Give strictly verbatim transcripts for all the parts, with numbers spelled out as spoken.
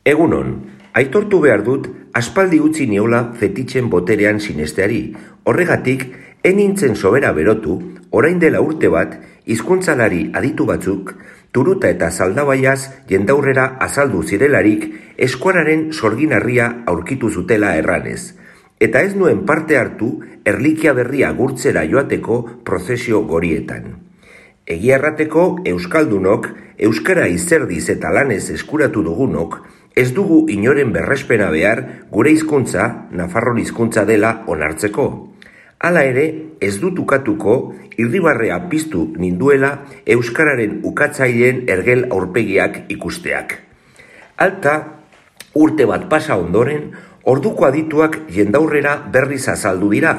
Egunon, aitortu behar dut, aspaldi utzi niola fetitxen boterean sinesteari. Horregatik, enintzen sobera berotu, orain dela urte bat, hizkuntzalari aditu batzuk, turuta eta zaldabaiaz jendaurrera azaldu zirelarik, eskuararen sorginarria aurkitu zutela erranez. Eta ez nuen parte hartu, erlikia berria gurtzera joateko prozesio gorietan. Egia errateko, euskaldunok, euskara izerdiz eta lanez eskuratu dugunok, ez dugu inoren berrespena behar gure hizkuntza, Nafarron hizkuntza dela onartzeko. Hala ere, ez dut ukatuko, irribarrea piztu ninduela euskararen ukatzaileen ergel aurpegiak ikusteak. Alta, urte bat pasa ondoren, orduko adituak jendaurrera berriz azaldu dira,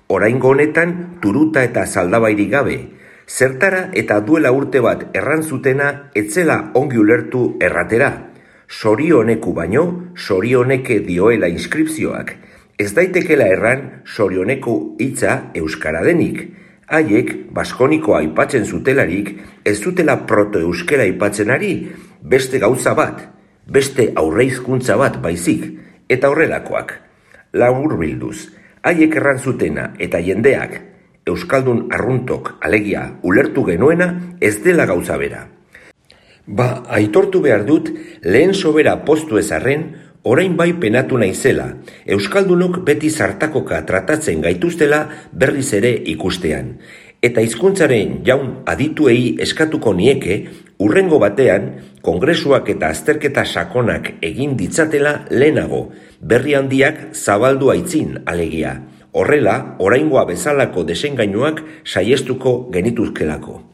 oraingo honetan turuta eta zaldabairik gabe. Zertara eta duela urte bat errantzutena etzela ongi ulertu erratera. Sorioneku baino, sorioneke dioela inskripzioak. Ez daitekela erran sorioneku hitza euskara denik. Haiek, baskonikoa aipatzen zutelarik, ez zutela protoeuskera aipatzen ari, beste gauza bat, beste aurreizkuntza bat baizik, eta horrelakoak. Laburbilduz, haiek errantzutena eta jendeak, euskaldun arruntok alegia ulertu genuena ez dela gauza bera. Ba, aitortu behar dut, lehen sobera postu ezarren, orain bai penatu naizela, euskaldunok beti zartakoka tratatzen gaituztela berriz ere ikustean. Eta hizkuntzaren jaun adituei eskatuko nieke, urrengo batean, kongresuak eta azterketa sakonak egin ditzatela lehenago, berri handiak zabaldu aitzin alegia. Horrela, oraingoa bezalako desengainuak saiestuko genituzkelako.